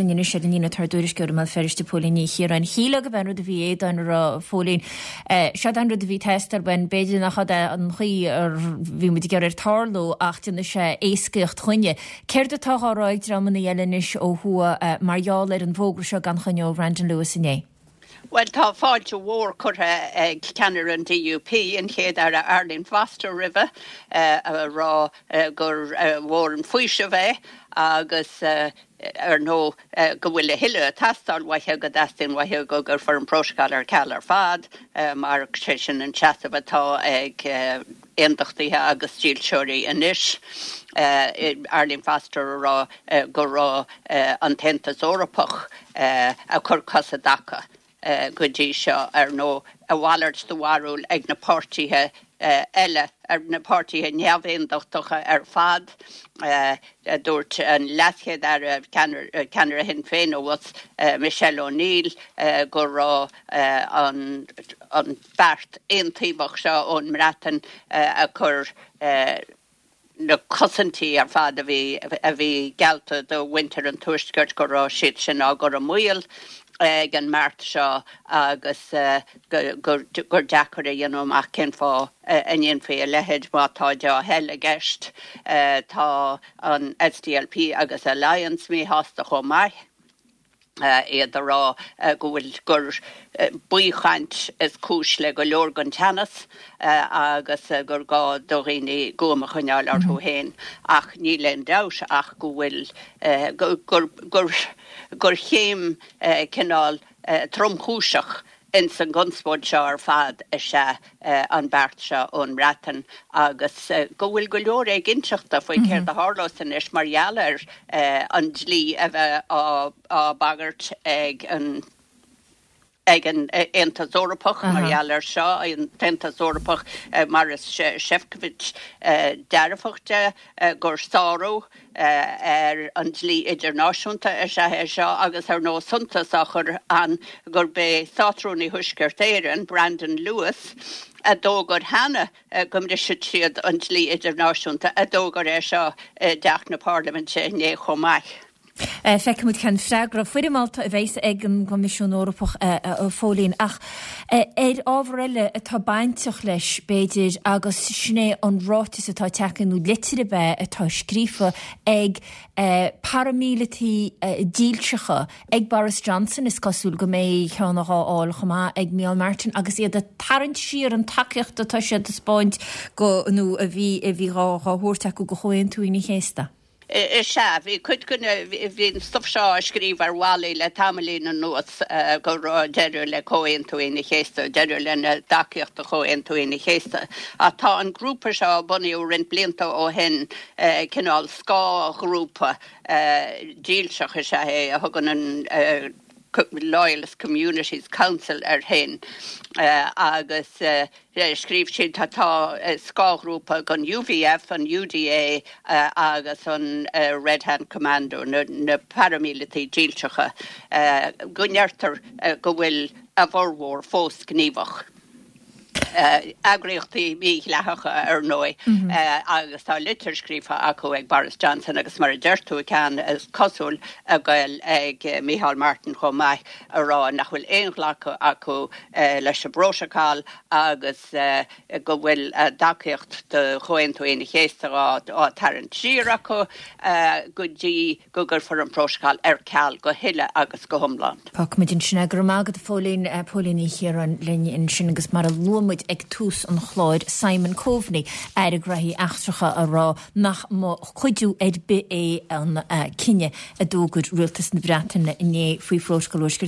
Anois ar an líne tá ár dtuairisceoir i mBéal Feirste, Póilín Ní Chiaráin. Shílfeá gurb é an rud a bhí Aodáin a rá, a Phóilín. Seod é an rud a bhí ag teastáil uainn. B'fhéidir nach ea an chaoi a bhí muid ag iarraidh air tarlú ach déanfaidh sé éascaíocht chugainne. Céard atá á rá ag dreamanna eile anois ó thuaidh mar gheall ar an bhfógra seo gan choinne ó Bhrandon Lewis inné? Bhuel, tá fáilte mhór curtha ag ceannaire an DUP, an Chéad-Aire Arlene Foster roimhe, a rá gur mhór an faoiseamh é agus, ar ndóigh, go bhfuil a thuilleadh ag teastáil uaithi, go dteastaíonn uaithi go gcuirfear an prótacal ar ceal ar fad, mar sé sin an seasamh atá ag aondachtaithe agus dílseoirí anois. Arlene Foster a rá go raibh an tAontas Eorpach ag cur cos i dtaca go dtí seo. Ar ndóigh, a mhalairt de bharúil ag na páirtithe eile, ar na páirtithe neamhaondachtacha ar fad. Dúirt an LeasChéad-Aire, ceannaire Shinn Féin abhus, Michelle O'Neill, go raibh an beart aontaobhach seo ón mBreatain ag cur na cosaintí ar fad a bhí a bhí geallta do mhuintir an Tuaiscirt, go raibh siad sin á gcur i mbaol ag an mbeart seo agus gur deacair a dhéanamh amach cén fáth a ndéanfaí a leithéid má tá dea-thoil i gceist. Tá an SDLP agus Alliance míshásta chomh maith. iad a rá go bhfuil gur baothchaint is cúis le go leor den teannas agus gur gá do dhaoine guaim a choinneáil orthu féin. Ach níl aon dabht ach go bhfuil gur gur gur chéim cineál tromchúiseach ins an gconspóid seo ar fad is ea an beart seo ón mBreatain agus go bhfuil go leor éiginnteachta faoi céard a tharlós anois mar gheall ar an dlí a bheith á bagairt ag an ag an Aontas Eorpach mar gheall air seo, an tAontas Eorpach Maros Sefcovic dearfach de gur sárú ar an dlí idirnáisiúnta is ea é seo agus ar ndóigh suntas á chur ann gurb é Státrúnaí Thuaisceart Éireann, Brandon Lewis, a d'fhógair cheana go mbrisfeadh siad an dlí idirnáisiúnta, a d'fhógair é seo i dTeach na Parlaiminte inné chomh maith. Feicfidh muid cén freagra foirmeálta a bheas ag an gCoimisiún Eorpach, a Phóilín. Ach ar ábhar eile atá bainteach leis, b'fhéidir, agus sin é an ráiteas atá tagtha, nó litir ab ea, atá scríofa ag paraimíleataigh dílseacha ag Boris Johnson, is cosúil go mbeidh ceann á fháil chomh maith ag Micheál Martin, agus iad ag tarraingt siar an tacaíocht atá siad ag taispeáint go, nó a bhí, a bhí dhá thabhairt acu do Chomhaontú Aoine an Chéasta. Is ea, bhí cuid de na, bhí an stuif seo á scríobh ar bhallaí le tamaillín anuas go raibh deireadh le Comhaontú Aoine an Chéasta, deireadh lena dtacaíocht do Chomhaontú Aoine an Chéasta. Ach tá an grúpa seo a bunaíodh roinnt blianta ó shin, cineál scáthghrúpa dílseach is ea é, a thugann an Loyalist Communities Council air féin agus, Scríobh siad, Tá scáthghrúpa den UVF, an UDA agus an Red Hand Commando, na paraimíleataigh dílseacha, go ndeirtear go bhfuil a bhformhór fós gníomhach. Eagraíochtaí mídhleathacha, ar ndóigh, agus tá litir scríofa acu ag Boris Johnson agus mar a deir tú, ceann is cosúil ag goil ag Micheál Martin chomh maith, a rá nach bhfuil aon ghlacadh acu leis an bprótacal agus go bhfuil a dtacaíocht do Chomhaontú Aoine an Chéasta á tarraingt siar acu go dtí go gcuirfear an prótacal ar ceal go huile agus go hiomlán. Fágfaimid ansin é. Go raibh maith agat, a Phóilín. Póilín Ní Chiaráin linn ansin agus mar a luaigh muid ag tús an chláir, Simon Coveney, Aire Gnóthaí Eachtracha, a rá nach mba chuidiú ar bith é an cinneadh a d'fhógair Rialtas na Breataine inné faoi Phrótacal Thuaisceart.